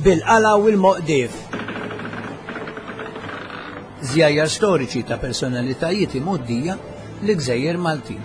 Bil-qala u l-moqdief. Żjajjar storiċi ta' personalitajiet imgħoddija l-Gżejjer Maltin.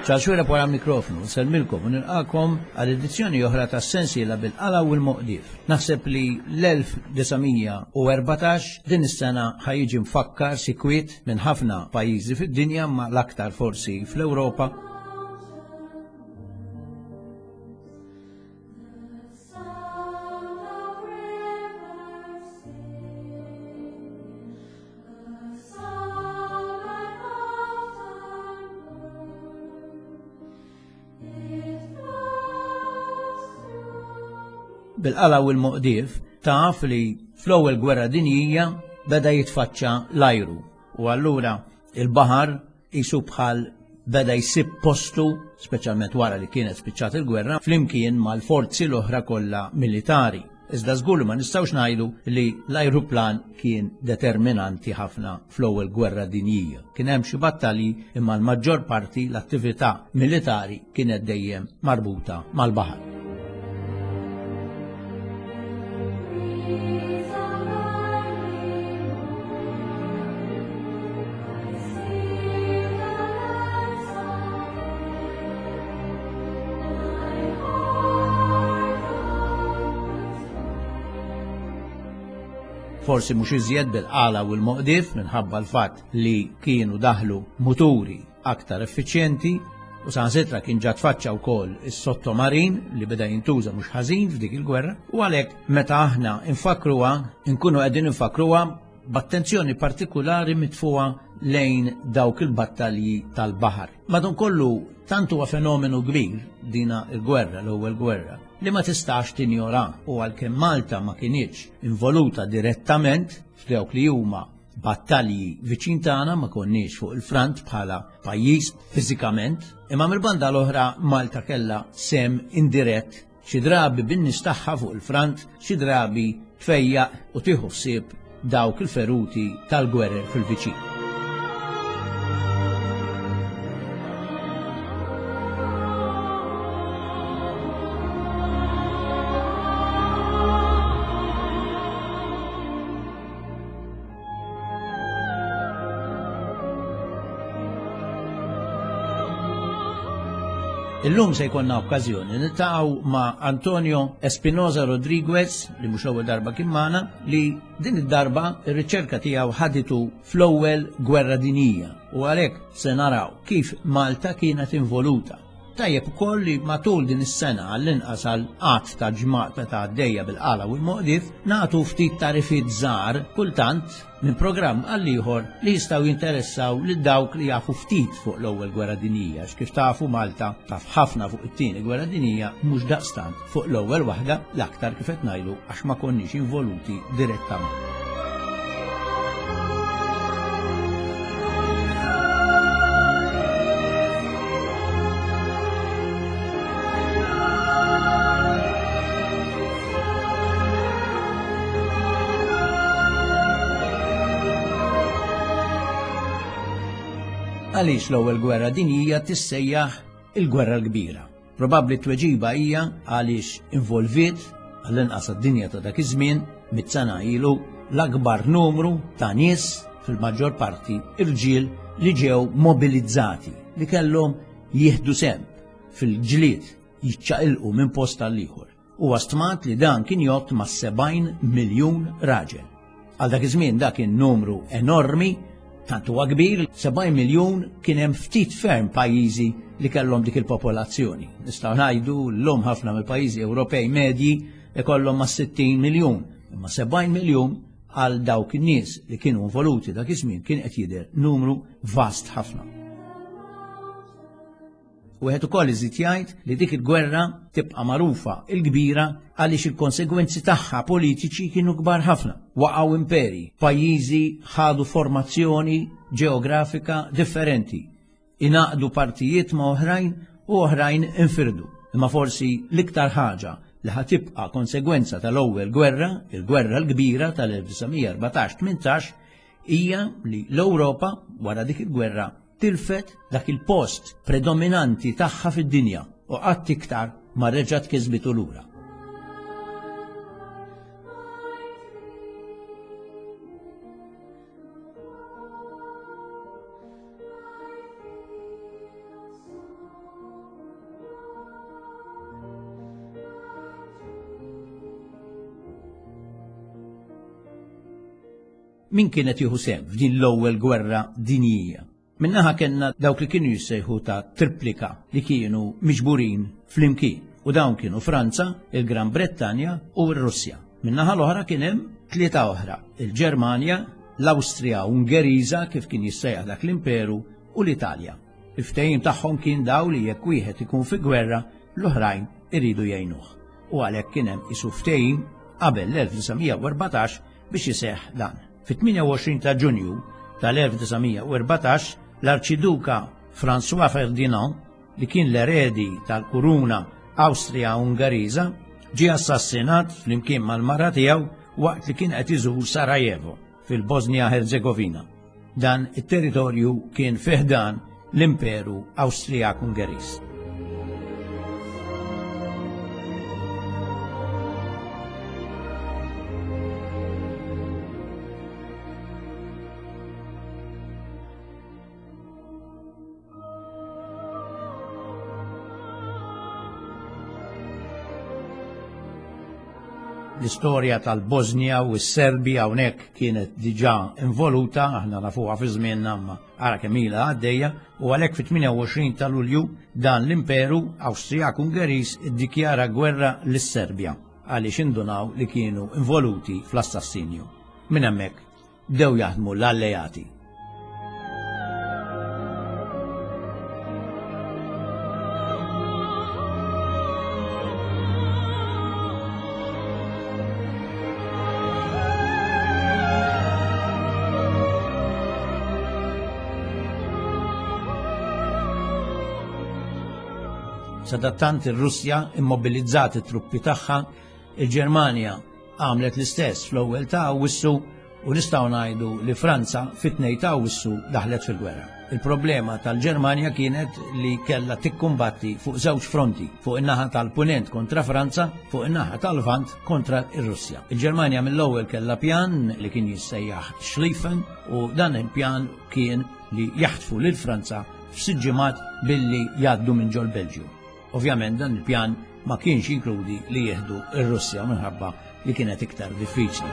Charles Xuereb wara l-mikrofonu, nsellmilkom u nilqakom għal edizzjoni oħra ta' Sensiela bil-qala u l-moqdief. Naħseb li l-1914 din is-sena ħa jiġi mfakkar sikwit minn ħafna pajjiżi fid-dinja ma l-aktar forsi fl-Ewropa. Bil-qala u l-moqdief taf li fl-ewwel gwerra dinjija beda jitfaċċa l-ajru u allura il-baħar qisu bħal beda jsib postu, speċjalment wara li kienet spiċċat il-gwerra, flimkien mal-forzi l-oħra kollha militari. Iżda żgur li ma nistgħux ngħidu li l-ajruplan kien determinanti ħafna fl-ewwel gwerra dinjija. Kien hemm xi battalji imma l-maġġor parti l-attività militari kienet dejjem marbuta mal-baħar. Forsi mhux iżjed bil-qala u l-moqdif minħabba l-fatt li kienu daħlu muturi aktar effiċjenti u saħansitra kien ġa tfaċċa wkoll is-sottomarin li beda jintuża mhux ħażin f'dik il-gwerra u għalhekk meta aħna nfakkruha nkunu qegħdin nfakkruha b'attenzjoni partikulari mitfuha lejn dawk il-battalji tal-baħar. Madankollu tant huwa fenomenu kbir dina il-gwerra, l-ewwel gwerra, li ma tistax tinjora u għalkemm Malta ma kinitx involuta direttament f'dawk li huma battalji viċin tagħna ma konniex fuq il-front bħala pajjiż fiżikament, imma mill-banda l-oħra Malta kellha sem indirett xi drabi bin-nies tagħha fuq il-front, xi drabi tfejjaq u tieħu ħsieb dawk il-feruti tal-gwerer fil-viċin. Illum se jkollna okkażjoni niltaqgħu ma' Antonio Espinoza Rodriguez li mhux l-ewwel darba kien magħna li din id-darba ir-riċerka tiegħu ħaditu fl-ewwel gwerra dinjija u għalhekk se naraw kif Malta kienet involuta. Tajjeb ukoll li matul din is-sena għall-inqas għal qatt ta' ġmat meta għaddejja bil-qala u l-moqdif nagħtu ftit tarifiet żgħar kultant minn programm għal ieħor li jistgħu jinteressaw lil dawk li jafu ftit fuq l-Ewwel Gwerra Dinjija għax kif tafu Malta taf ħafna fuq it-Tieni Gwerra Dinjija mhux daqstant fuq l-ewwel waħda l-aktar kif qed ngħidu għax ma konniex involuti direttament. Għaliex l-ewwel gwerra dinjija tissejjaħ il-gwerra l-kbira? Probabbli t-tweġiba hija għaliex involviet għall-inqas għad-dinja ta' dak iż-żmien mit-sena ilu l-akbar numru ta' nies fil-maġġor parti irġiel li ġew mobilizzati li kellhom jieħdu sehem fil-ġlied jiċċaqilqu minn post għal ieħor. Huwa stmat li dan kien jgħodd ma' 70 miljun raġel. Għal dak iż-żmien dak kien numru enormi, tant huwa kbir, 70 miljun kien hemm ftit ferm pajjiżi li kellhom dik il-popolazzjoni. Nistgħu ngħidu llum ħafna mill-pajjiżi Ewropej medji ikollhom ma' 60 miljun, imma 70 miljun għal dawk in-nies li kienu involuti dak iż-żmien kien qed jidher numru vast ħafna. Wieħed ukoll iżid jgħid li dik il-gwerra tibqa' magħrufa il-kbira għaliex il-konsegwenzi tagħha politiċi kienu kbar ħafna. Waqgħu imperi, pajjiżi ħadu formazzjoni ġeografika differenti, ingħaqdu partijiet ma' oħrajn u oħrajn infirdu. Imma forsi l-iktar ħaġa li ħa tibqa' konsegwenza tal-ewwel gwerra, il-gwerra l-kbira tal-1914-18, hija li l-Ewropa wara dik il-gwerra tilfet dak il-post predominanti tagħha fid-dinja u qatt iktar ma reġgħet kisbitu lura. Min kien qed jieħu sehem f'din l-ewwel gwerra dinjija? Min-naħa kellna dawk li kienu jissejħu ta' triplika li kienu miġburin flimkien u dawn kienu Franza, il-Gran Brettanja u r-Russja. Min-naħa l-oħra kien hemm tlieta oħra, il-Ġermanja, l-Awstrija Ungeriża kif kien jissejjaħ dak l-imperu u l-Italja. Il-ftehim tagħhom kien daw li jekk wieħed ikun fi gwerra, l-oħrajn iridu jgħinuh. U għalhekk kien hemm isu ftehim qabel l-1914 biex iseħħ dan. Fit-28 ta' Ġunju tal-1914 l-Arċiduka François Ferdinand li kien l-eredi tal-kuruna Awstrija-Ungariża ġie assassinat flimkien mal-mara tiegħu waqt li kien qed iżur Sarajevo fil-Bosnia Herzegovina. Dan it-territorju kien fi ħdan l-Imperu Awstrijak-Ungeriż. L-istorja tal-Bosnia u s-Serbi hawnhekk kienet diġà involuta, aħna nafuha fi żmienna imma ara kemm ilha għaddejja, u għalhekk fit-28 ta' Lulju dan l-Imperu Awstrijak-Ungeriż iddikjara gwerra lis-Serbja għaliex indunaw li kienu involuti fl-assassinju. Minn hemmhekk bdew jaħdmu l-alleati. Sadattant ir-Russja immobilizzat it-truppi tagħha, il-Ġermanja għamlet l-istess fl-ewwel ta' Awwissu u nistgħu ngħidu li Franza fit-2 ta' Awwissu daħlet fil-gwerra. Il-problema tal-Ġermanja kienet li kellha tikkumbatti fuq żewġ fronti, fuq in-naħa tal-Punent kontra Franza, fuq in-naħa tal-Lvant kontra r-Russja. Il-Ġermanja mill-ewwel kellha pjan li kien jissejjaħ Schlieffen u dan il-pjan kien li jaħtfu lil Franza f'sitt ġimgħat billi jgħaddu minn ġol-Belġju. Ovvjament dan il-pjan ma kienx jinkludi li jieħdu r-Russja minħabba li kienet iktar diffiċli.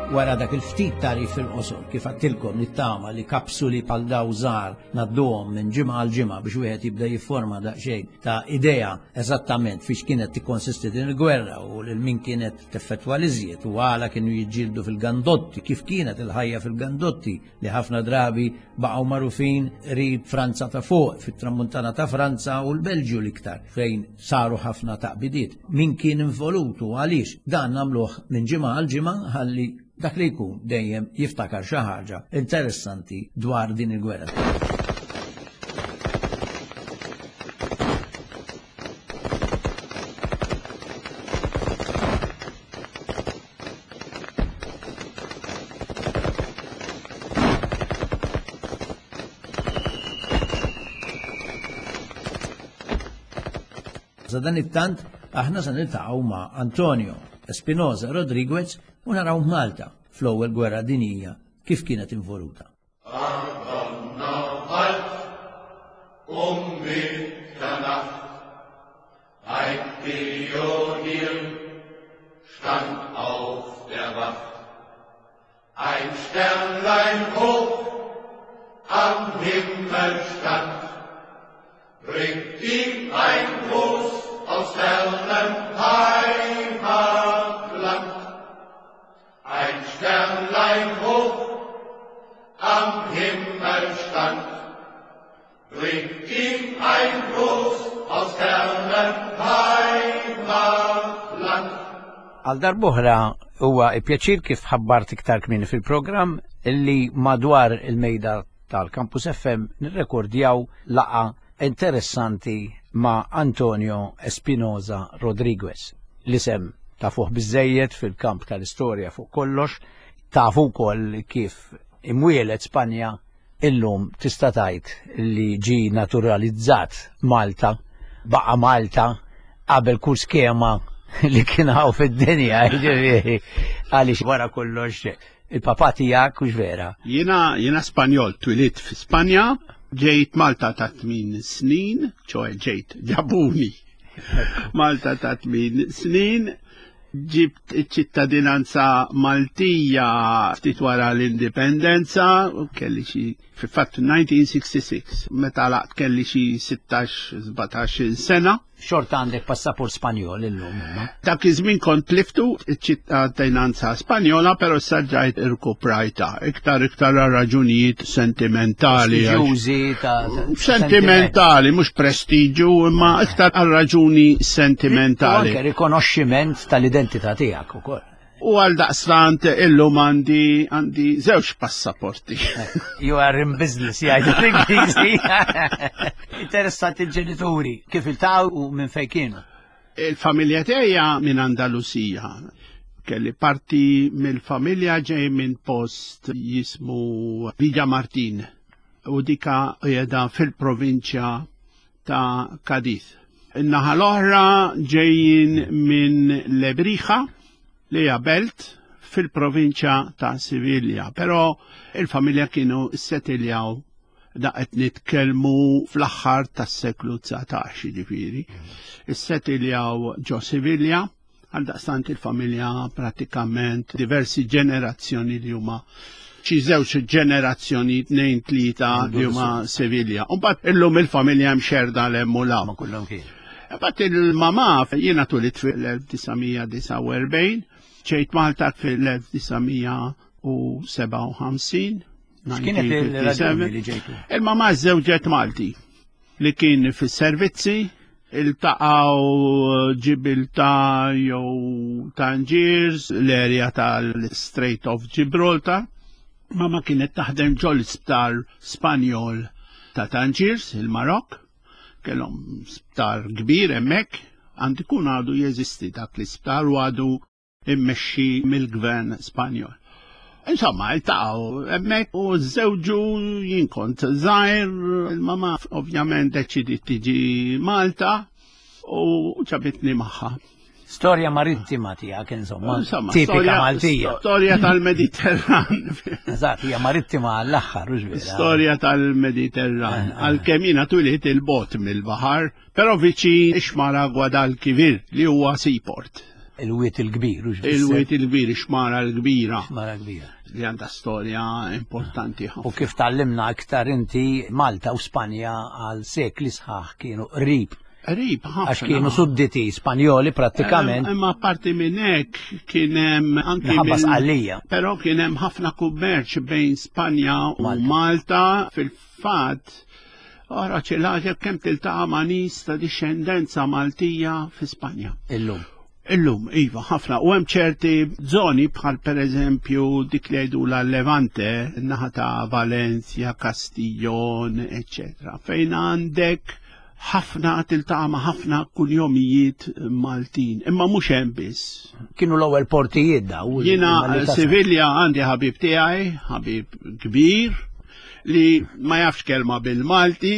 Wara dak il-ftit tagħrif fil-qosor, kif għattilkom nittama li kapsuli bħal daw żgħar ngħadduhom minn ġimgħa għal ġimgħa biex wieħed jibda jifforma daqsxejn ta' idea eżattament fiex kienet tikkonsisti din il-gwerra u lil min kienet teffettwa l-iżjed u għala kienu jiġġieldu fil-gandotti, kif kienet il-ħajja fil-gandotti li ħafna drabi baqgħu magħrufin qrib Franza ta' fuq, fit-tramuntana ta' Franza u l-Belġju l-iktar, fejn saru ħafna taqbidiet. Min kien involut u għaliex dan nagħmluh minn ġimgħa għal ġimgħa ħalli dak li jkun dejjem jiftakar xi ħaġa interessanti dwar din il-gwerra. Sadanittant aħna se niltaqgħu ma' Antonio Espinosa Rodriguez u naraw Malta fl-ewwel gwerra dinjija kif kienet involuta. Um Mitternacht Ein Pionier stand auf der Wacht. Ein Sternlein hoch am Himmel stand, bringt ihm ein Gruß aus fernem Heimatland. Ein Sternlein hoch am Himmel stand, bringt ihm ein Gruß aus fernem Heimatland. Għal darb'oħra huwa pjaċir kif ħabbart iktar kmieni fil-programm li madwar il-mejda tal-Campus FM nirrekordjaw laqgħa interessanti ma' Antonio Espinoza Rodriguez. L-isem tafuh biżejjed fil-kamp tal-istorja fuq kollox, tafu wkoll kif imwieled Spanja illum tista' tgħid li ġi naturalizzat Malta, baqa' Malta qabel kull skema li kien hawn fid-dinja, jiġifieri għaliex wara kollox il-papà tiegħek hux vera. Jiena jiena Spanjol, twilidt fi Spanja, ġejt Malta ta' tmien snin, ċoe ġejt ġabuni Malta ta' tmien snin, ġibt iċ-ċittadinanza Maltija ftit wara l-indipendenza, kelli xi fil-fatt 1966, meta laqt kelli xi 16-17 sena. Xorta għandek passaport Spanjol illum. imma. Dak iż-żmien kont tliftu iċ-ċittadinanza Spanjola, però issa ġajt irkuprajta. Iktar iktar għal raġunijiet sentimentali. għax- Ġużi ta' Sentimentali, mhux prestiġu, imma iktar għal raġuni U sentimentali. anke rikonoxximent tal-identità tiegħek ukoll. U għal daqstant illum għandi għandi żewġ passaporti. You are in business, jgħidu l-Ingliżi. Interessanti il-ġenituri, kif iltaqgħu u minn fejn kienu. Il-familja tiegħi minn Andalusija. Kelli parti mill-familja ġej minn post jismu Villa Martin u dika qiegħda fil-provinċja ta' Cadiz. In-naħa l-oħra ġejjin minn Lebrija li hija belt fil-provinċja ta' Sivilja, però il-familja kienu settiljaw da qed nitkellmu fl-aħħar tas-seklu 19 jiġifieri. Issettiljaw ġo Sivilja, għal daqstant il-familja pratikament diversi ġenerazzjoni li huma xi żewġ ġenerazzjoni tnejn tlieta li huma Sevilja. U mbagħad illum il-familja mxerda 'l hemm u 'l hawn. Ma kullhom kien. Mbagħad il-mamà jiena tulit fil-1949, ġejt Malta fil-1957. X'kienet il-raġuni li ġejtu? Il-mamà żewġet Malti li kien fis-servizzi, iltaqgħu Ġibiltà jew Tangiers, l-area tal-Strait of Gibraltar. Mama kienet taħdem ġol isptar Spanjol ta' Tangiers, il-Marok, kellhom sptar kbir hemmhekk, għand ikun għadu jeżisti dak l-isptar u għadu immexxi mill-gvern Spanjol. Insomma, iltaqgħu hemmhekk u żewġu jien kont żgħir, il-mama ovvjament deċidiet tiġi Malta u ġabitni magħha. Storja marittima tiegħek insomma, Insomma, tipika storja- Maltija. Storja tal-Mediterran. Eżatt, hija marittima għall-aħħar, hux vera. Storja tal-Mediterran. Għalkemm jiena tulit il-bot mill-baħar, però viċin ix-xmara Guadalquivir li huwa seaport. Il-wiet il-kbir, hux vera. Il-wiet il-kbir, ix-xmara l-kbira Xmara kbira. li għandha storja importanti U ħafna. kif tallimna aktar inti Malta u Spanja għal sekli sħaħ kienu qrib Qrib ħafna. għax kienu sudditi Spanjoli prattikament Imma parti minn hekk kien hemm anki minħabba minn- Sqallija. Però kien hemm ħafna kummerċ bejn Spanja u Malta. Malta fil-fatt. Ora ċilaġa kemm tiltaqa' ma' nies ta' dixxendenza Maltija fi Spanja. Illum. Illum, iva, ħafna. U hemm ċerti zoni bħal per eżempju dik li jgħidu la Levante, naħa ta' Valencia, Castiglion, eccetera, fejn għandek ħafna tiltaqa' ma' ħafna kunjomijiet Maltin. Imma mhux hemm biss. Kienu l-ewwel portijiet daw. Jiena imma li tasal. Sivilja għandi ħabib tiegħi, ħabib kbir, li ma jafx kelma bil-Malti,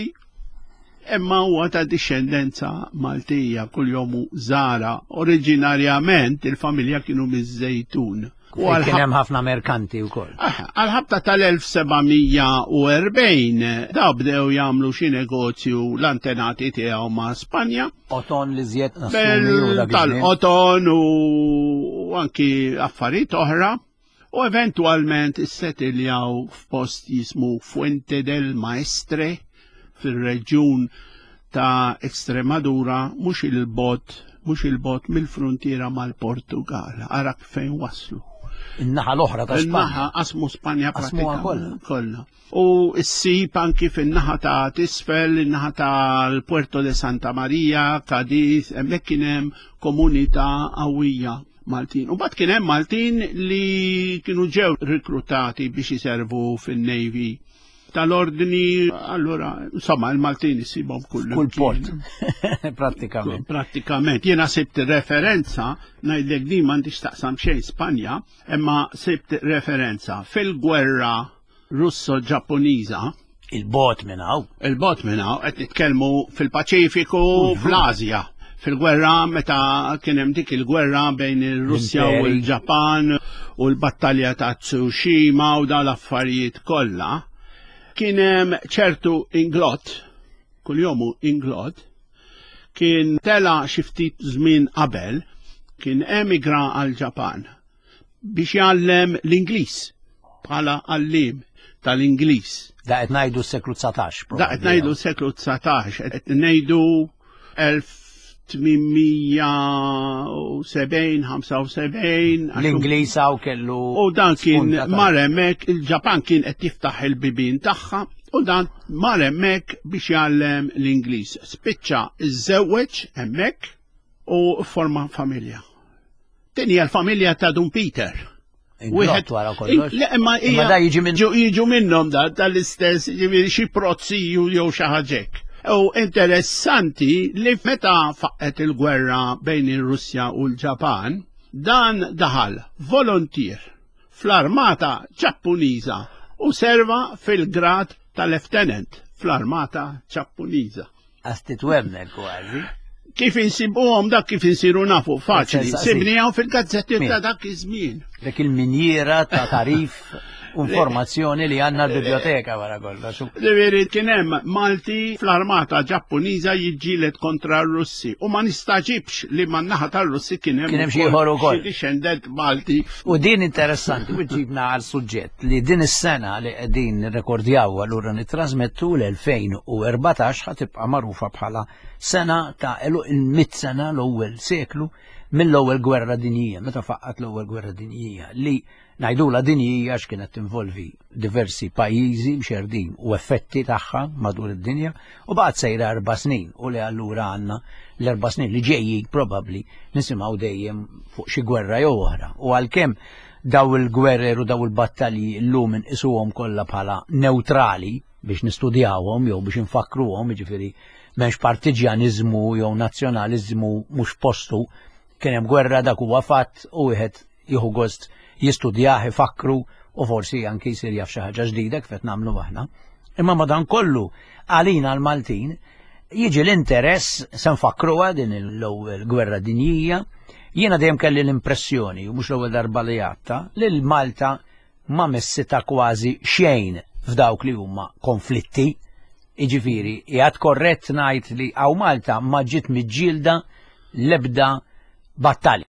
imma huwa ta' dixxendenza Maltija, kuljom Zara. Oriġinarjament il-familja kienu miż-Żejtun. U Fejn Kien għal hemm ħafna merkanti wkoll. Għal-ħabta tal-1740 da bdew jagħmlu xi negozju l-antenati tiegħu ma' Spanja Oton li żjed nassumi u dak iż-żmien. tal-qoton u anki affarijiet oħra u eventwalment issettiljaw f'post jismu Fuente del Maestre fir-reġjun ta' Extremadura mhux il-bot mhux il-bot mill-frontiera mal-Portugal. Ara fejn waslu. In-naħa l-oħra ta' Il-naħa Spanja. qasmu Spanja Qasmuha pratikament kollha. U ssib anki fin-naħa ta' tisfel, in-naħa tal-Puerto de Santa Maria, Cadiz, hemmhekk kien hemm komunità qawwija. Maltin. U bat kien hemm Maltin li kienu ġew rikrutati biex iservu fin-Navy tal-ordni, allura, insomma, il-Maltin isibhom kull Kull port. Prattikament. Prattikament. Jiena sibt referenza, ngħidlek din m'għandix taqsam xejn Spanja, imma sibt referenza fil-gwerra Russo-Ġappuniża. Il-bot minn hawn. Il-bot minn hawn qed nitkellmu fil-Paċifiku, fl-Asja. Fil-gwerra meta kien hemm dik il-gwerra bejn ir-Russja u l-Ġapan u l-battalja ta' Tsushima u dawn l-affarijiet kollha, kien hemm ċertu Inglot, kuljomu Inglot, kien tela xi ftit żmien qabel, kien emigra għall-Ġapan biex jgħallem l-Ingliż bħala għalliem tal-Ingliż. Da qed ngħidu s-seklu 19. Da qed ngħidu s-seklu 19, qed ngħidu 1870, 75. L-Ingliż hawn kellu. U dan kien mar hemmhekk, il-Ġapan kien qed jiftaħ il-bibien tagħha u dan mar hemmhekk biex jgħallem l-Ingliż. Spiċċa iżżewweġ hemmhekk u forma familja. Din hija l-familja ta' Dun Peter. Wieħed wara kollox. Le, imma Imma da jiġi minn jiġu minnhom da tal-istess jiġifieri xi prozziju jew xi ħaġek. U interessanti li meta faqqet il-gwerra bejn ir-Russja u l-Ġapan, dan daħal volontier fl-armata Ġappuniża u serva fil-grad ta' lieutenant fl-armata Ġappuniża. Għas titwemmen kważi. Kif insibuhom dak kif insiru nafu faċli. Sibnihom fil-gazzetti ta' dak iż-żmien. Dak il-minjiera ta' tarif u informazzjoni li għandna l-biblioteka wara kollox. Ġifieri kien hemm Malti fl-armata Ġappuniża jiġġieled kontra r-Russi u ma nistaġibx li man-naħa tar-Russi kien hemm Kien hemm xi ieħor ukoll. Xi dixxendent Malti. U din interessanti, u ġibna għal suġġett. li din is-sena li qegħdin nirrekordjaw allura nittrażmettu l-2014 ħa tibqa' magħrufa bħala sena ta' għeluq il-mitt sena l-ewwel seklu mill-ewwel gwerra dinjija, meta faqqat l-ewwel gwerra dinjija li ngħidula dinjija għax kienet tinvolvi diversi pajjiżi mxerdin u effetti tagħha madur id-dinja u baqgħet sejra erba' snin u li allura għandna l-erba' snin li ġejjin probabbli nisimgħu dejjem fuq xi gwerra jew oħra. U għalkemm Daw il-gwerer u daw il-battalji llum inqisuhom kollha bħala newtrali biex nistudjawhom jew biex infakkruhom, jiġifieri m'hemmx partiġjaniżmu jew nazzjonaliżmu mhux postu. Kien hemm gwerra dak huwa fatt u wieħed jieħu gost jistudjah, ifakkru u forsi anki jsir jaf xi ħaġa ġdida kif qed nagħmlu aħna. Imma madankollu għalina l-Maltin jiġi l-interess se nfakkruha din l-ewwel gwerra dinjija. Jiena dejjem kelli l-impressjoni, u mhux l-ewwel darba li għadta, li l-Malta ma messitha kważi xejn f'dawk li huma konflitti. Jiġifieri, qiegħed korrett ngħid li hawn Malta ma ġiet miġġielda l-ebda battalja.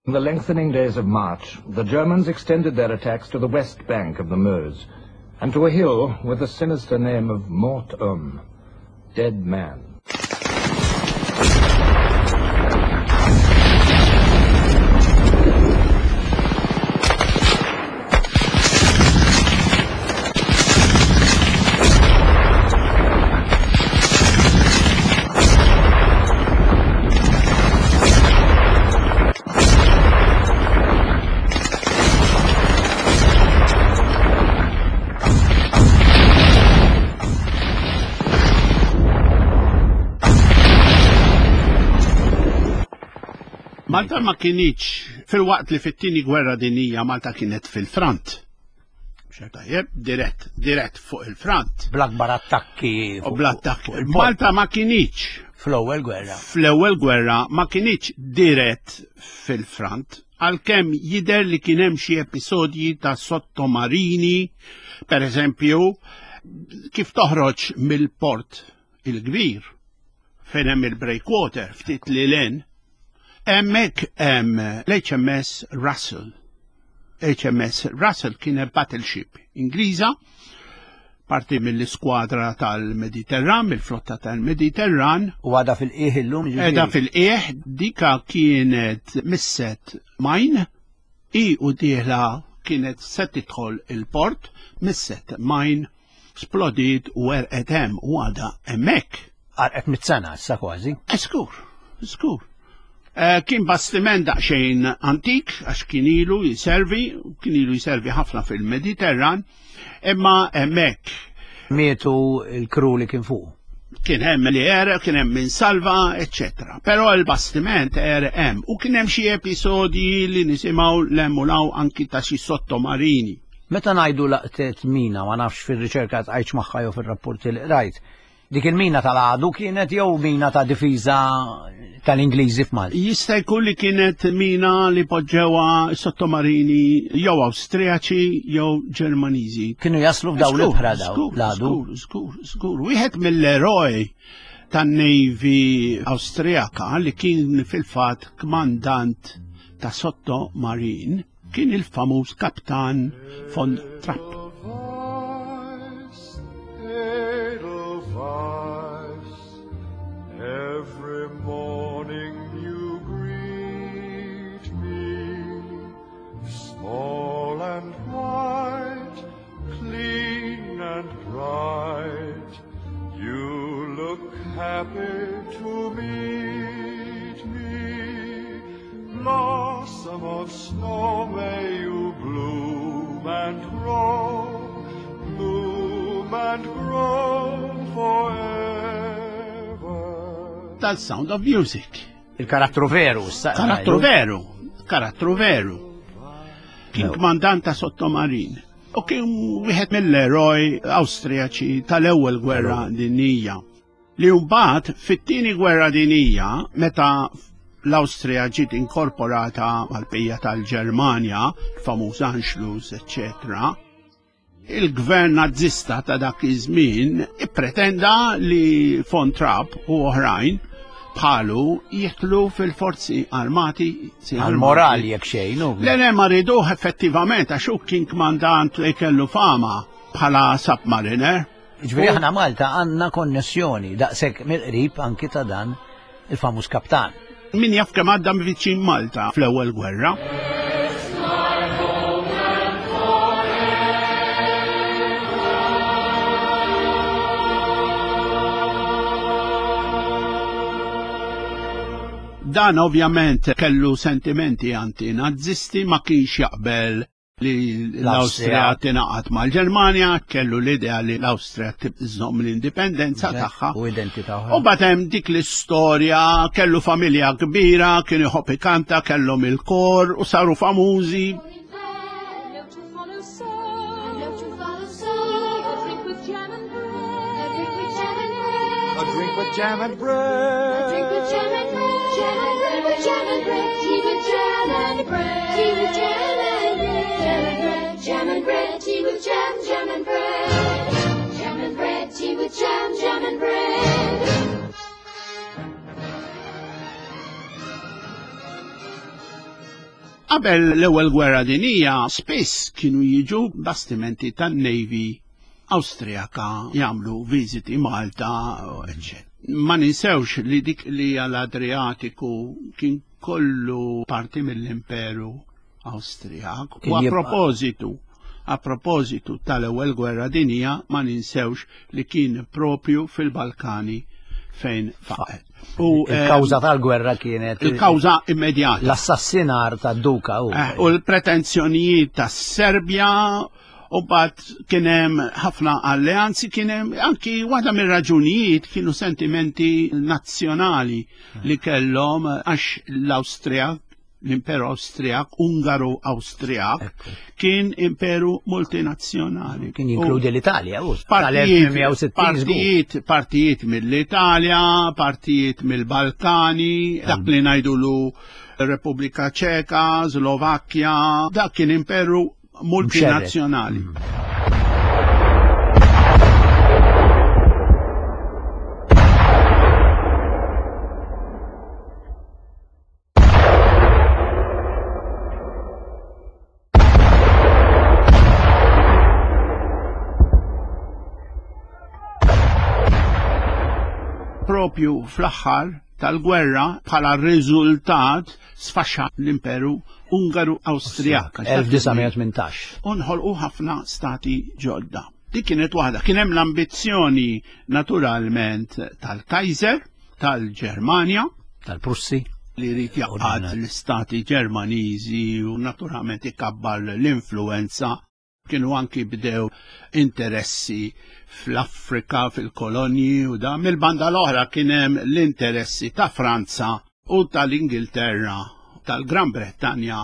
In the lengthening days of March, the Germans extended their attacks to the west bank of the Meuse and to a hill with the sinister name of Mort Homme, Dead Man. Malta ma kinitx fil-waqt li fit-tieni gwerra dinjija Malta kienet fil-front. Tajjeb, dirett, dirett fuq il-front. Bl-akbar attakki. U bl-attakki. Malta ma kinitx. Fl-ewwel gwerra. Fl-ewwel gwerra ma kinitx dirett fil-front, għalkemm jidher li kien hemm xi episodji ta' sottomarini, per eżempju, kif toħroġ mill-port il-kbir fejn hemm il-breakwater ftit lil hinn, Hemmhekk hemm l-HMS Russell. HMS Russell kienet battleship Ingliża, parti mill-iskwadra tal-Mediterran, mill-flotta tal-Mediterran. U għadha fil-qiegħ illum? Għadha fil-qiegħ, dika kienet misset mine, i u dieħla kienet se tidħol il-port, misset mine, splodiet u għerqet hemm u għadha hemmhekk. Għarqet mit-sena issa kważi. Skur, skur. Eh, kien bastiment daqsxejn antik għax kien ilu jiservi, kien ilu jiservi ħafna fil-Mediterran, imma hemmhekk. Mietu il-kru li kien fuq. Kien hemm li għereq, kien hemm min salva, eċċetera. Però l-bastiment għereq hemm u kien hemm xi episodji li nisimgħu l-hemm u l-hawn anki ta' xi sottomarini. Meta ngħidu laqtet mina, ma nafx fir-riċerka tqajtx magħha jew fir-rapporti li qrajt, Dik il-mina tal-għadu kienet jew mina ta' difiża tal-Ingliżi f'Malta? Jista' jkun li kienet mina li poġġewha sottomarini jew Awstrijaċi jew Ġermaniżi. Kienu jaslu f'dawn l-ibħra daw l-għadu. Żgur, żgur, żgur. Wieħed mill-eroj tan-Navy Awstrijaka li kien fil-fatt kmandant ta' sottomarin Kien il-famuż Kaptan von Trapp. Every morning you greet me, small and white, clean and bright. You look happy to meet me. Blossom of snow, may you bloom and grow, bloom and grow forever. Tal-Sound of Music. Il-karattru veru, Karattru veru, karattru veru. Kien kmandant ta' sottomarin. U kien wieħed mill-eroj Awstrijaċi tal-ewwel gwerra dinjija. Li mbagħad fit-tieni gwerra dinjija, meta l-Awstrija ġiet inkorporata mal-bqija tal-Ġermanja, il-famuż Anschluss, eċċetera, il-gvern Nazzista ta' dak iż-żmien ippretenda li von Trapp u oħrajn bħalu jidħlu fil-forzi armati. Għal-moral jekk xejn. Le le ma riduh effettivament għax hu kien kmandant li kellu fama bħala submariner. Ġifieri aħna Malta għandna konnessjoni daqshekk mill-qrib anki ta' dan il-famuż kaptan. Min jaf kemm għadda viċin Malta fl-ewwel gwerra. Dan ovvjament kellu sentimenti anti-nazzisti ma kienx jaqbel li l-Awstrija tingħaqad mal-Ġermanja, kellu l-idea li l-Awstrija tibżomm l-indipendenza tagħha. U identità U bagħad hemm dik l-istorja, kellu familja kbira, kien iħobb ikanta, kellhom il-kor u saru famużi. A drink with jam and bread. A drink with jam and bread. Jam and bread. Jam and bread. Tea with jam and bread. Tea with jam and bread. Jam and bread. Jam and bread. Tea with jam. Jam and bread. Jam and bread. Tea with jam. Jam and bread. Qabel l-ewwel gwerra dinija, spiss kienu jiġu bastimenti tan-Navy Awstrijaka jagħmlu viżiti Malta, eċċetera. Ma ninsewx li dik li hija l-Adriatiku kien kollu parti mill-Imperu Awstrijak. U a propositu, a propositu tal-ewwel gwerra dinija ma ninsewx li kien propju fil-Balkani fejn faqet. U il-kawża eh, tal-gwerra kienet il-kawża immedjata. L-assassinar tad-duka u. Eh, u l-pretenzjonijiet tas-Serbja U bat kien hemm ħafna alleanzi, kien hemm anki waħda mir-raġunijiet kienu sentimenti nazzjonali li kellhom għax l-Awstrija l-Imperu Awstrijak, Ungaru Awstrijak, kien imperu multinazzjonali. Kien jinkludi l-Italja, u partijiet, partijiet mill-Italja, partijiet mill-Balkani, dak li ngħidulu Repubblika Ċeka, Slovakkja, dak kien imperu multinazzjonali. Mm. propju fl-aħħar tal-gwerra bħala riżultat sfaxxa l-Imperu Ungaru Awstrijak. 1918. U nħolqu ħafna stati ġodda. Dik kienet waħda. Kien hemm l-ambizzjoni naturalment tal-Kaiser, tal-Ġermanja. Tal-Prussi. li jrid jaqgħad l-istati Ġermaniżi u naturalment ikabbar l-influenza. Kienu anki bdew interessi fl-Afrika, fil-kolonji u da. Mill-banda l-oħra kien hemm l-interessi ta' Franza u tal-Ingilterra, tal-Gran Brettanja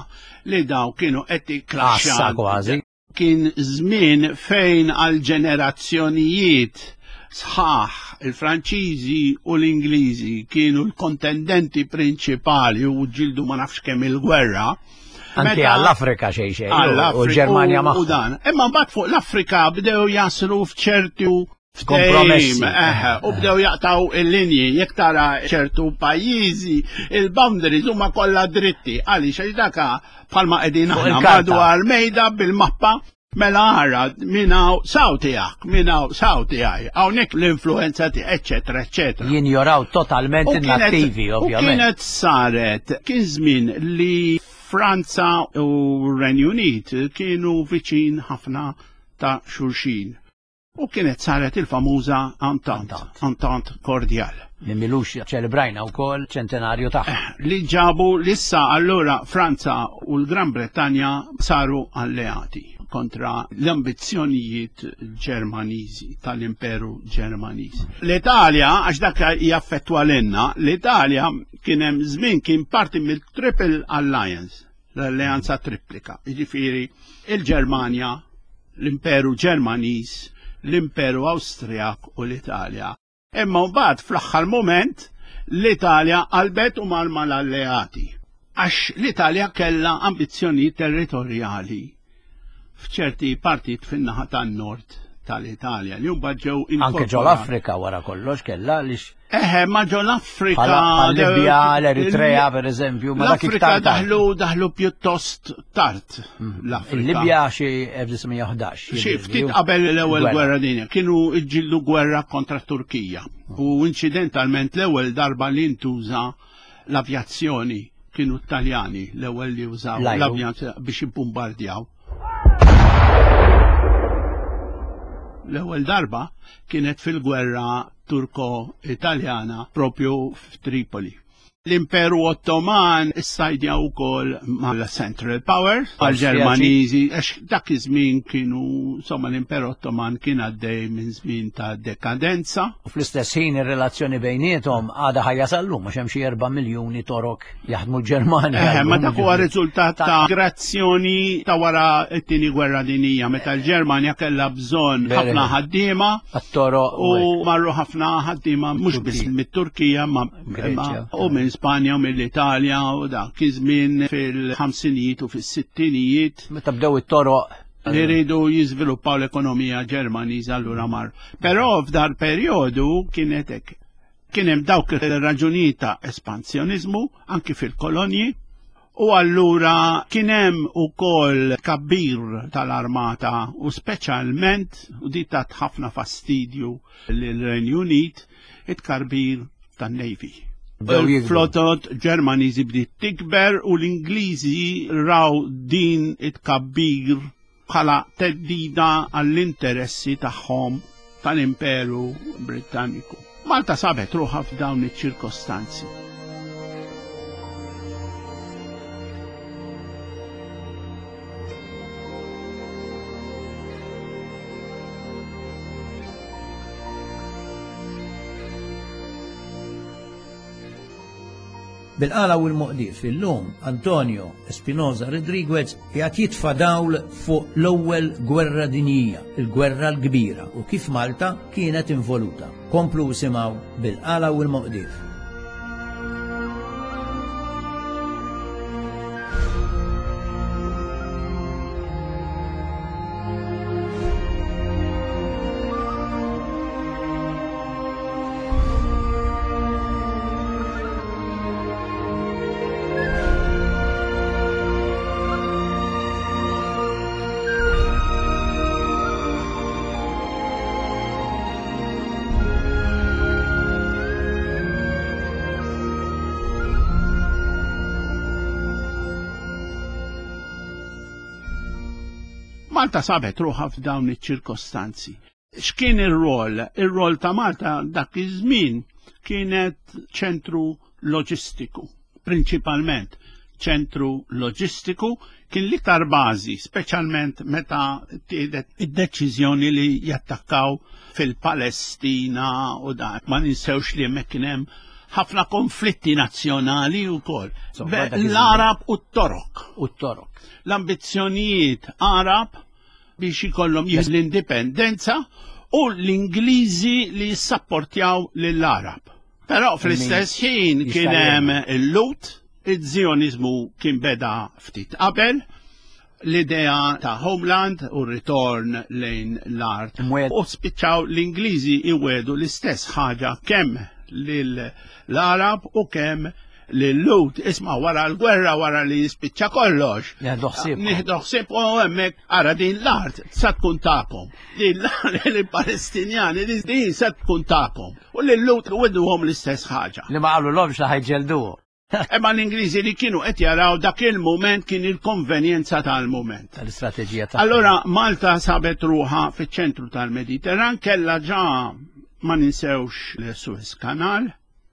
li daw kienu qed jikklaxxjaw. kważi. Kien żmien fejn għal ġenerazzjonijiet sħaħ il-Franċiżi u l-Ingliżi kienu l-kontendenti prinċipali u ġildu ma nafx kemm il-gwerra. Anke għall-Afrika xejn xejn. U l-Ġermanja magħhom. U dan. Imma mbagħad fuq l-Afrika bdew jaslu f'ċertu kompromessi. U bdew jaqtaw il-linji, jekk tara ċertu pajjiżi, il-boundaries huma kollha dritti, għaliex għax daka bħalma qegħdin aħna madwar mejda bil-mappa mela ara minn hawn saw tiegħek, minn hawn saw tiegħi, hawnhekk l-influenza tiegħek, eċetera, eċetera. Jinjoraw totalment in-nattivi, ovvjament. U kienet saret, kien żmien li Franza u Renju Unit kienu viċin ħafna ta' xulxin. U kienet saret il-famuża Entente, Entente Cordiale. Li milux ċelebrajna wkoll ċentenarju tagħha. Eh, li ġabu lissa allura Franza u l-Gran Bretanja saru alleati kontra l-ambizzjonijiet Ġermaniżi tal-Imperu Ġermaniż. L-Italja, għax dak jaffettwa l-inna, l-Italja kien hemm żmien kien parti mill-Triple Alliance l-alleanza triplika, jiġifieri il-Ġermanja, l-Imperu Ġermaniż, l-Imperu Awstrijak u l-Italja. Imma mbagħad fl-aħħar mument l-Italja qalbet u mar mal-alleati. Għax l-Italja kellha ambizzjonijiet territorjali f'ċerti partit fin-naħa tan-nord tal-Italja li mbagħad ġew Anke ġol Afrika wara kollox kellha għaliex Eħe, ma ġo l-Afrika. Libja, l-Eritrea, per eżempju, ma dak iktar. Daħlu, daħlu pjuttost tard mm. l-Afrika. Il-Libja xi 1911. Xi ftit qabel l-ewwel gwerra dinja. Kienu ġillu gwerra kontra Turkija. Mm. U incidentalment l-ewwel darba li ntuża l-avjazzjoni kienu Taljani l-ewwel li użaw l-avjazzjoni biex jibbombardjaw. L-ewwel darba kienet fil-gwerra Turko-Italjana propju f'Tripoli. L-Imperu Ottoman issajdja wkoll mal-Central Powers, mal-Ġermaniżi, għax dak iż-żmien kienu, insomma, l-Imperu Ottoman kien għaddej minn żmien ta' dekadenza. U fl-istess ħin ir-relazzjoni bejniethom għadha ħajja sal-lum għax hemm xi 4 miljuni Torok jaħdmu l-Ġermanja. Eh, ma dak huwa riżultat ta' migrazzjoni ta' wara t-tieni gwerra dinija meta l-Ġermanja kellha bżonn ħafna ħaddiema. U marru ħafna ħaddiema mhux biss mit-Turkija ma u minn Spanja u mill-Italja u dak iż-żmien fil-ħamsinijiet u fis-sittinijiet. Meta bdew it-toroq li rridu jiżviluppaw l-ekonomija Ġermaniża allura mar. Però f'dar perjodu kienet hekk. Kien hemm dawk ir-raġunijiet ta' espansjoniżmu anki fil-kolonji u allura kien hemm ukoll kabbir tal-armata u speċjalment u di tat ħafna fastidju lil-Renju Unit it-karbir tan-Navy. Il-flotot Ġermaniżi bdiet tikber u l-Ingliżi raw din it-kabbir bħala theddida għall-interessi tagħhom tal-Imperu Brittaniku. Malta sabet ruħha f'dawn iċ-ċirkostanzi. Bil-qala u l-moqdif illum Antonio Espinosa Rodriguez qiegħed jitfa' dawl fuq l-ewwel gwerra dinjija, il-gwerra l-kbira u kif Malta kienet involuta. Komplu isimgħu bil-qala u l-moqdif. Malta sabet ruħha f'dawn iċ-ċirkostanzi. X'kien ir-rol? Ir-rol ta' Malta dak iż-żmien kienet ċentru loġistiku. Prinċipalment ċentru loġistiku kien l-iktar bażi, speċjalment meta tieħdet id-deċiżjoni li jattakkaw fil-Palestina u dan. Ma ninsewx li hemmhekk kien hemm ħafna konflitti nazzjonali wkoll. L-Arab u t-Torok. U t-Torok. L-ambizzjonijiet Arab biex ikollhom jieħdu l-indipendenza u l-Ingliżi li jissapportjaw lill-Arab. Però fl-istess ħin kien hemm il-Lut, iż-Zjonizmu kien beda ftit qabel, l-idea ta' homeland u ritorn lejn l-art. U spiċċaw l-Ingliżi iwedu l-istess ħaġa kemm lill-Arab u kemm lil-Lut isma' wara l-gwerra wara li jispiċċa kollox. Nieħdu ħsieb u hemmhekk ara din l-art sa tkun tagħkom. Din l-art il-Palestinjani din sa tkun tagħkom. U lil-Lut wedduhom l-istess ħaġa. Li ma qalulhomx li ħajġelduhom. Imma l-Ingliżi li kienu qed jaraw dak il-mument kien il-konvenjenza tal-mument. Tal-istrateġija ta' Allora Malta sabet ruħha fiċ-ċentru tal-Mediterran kellha ġa ma ninsewx l-Suez Canal.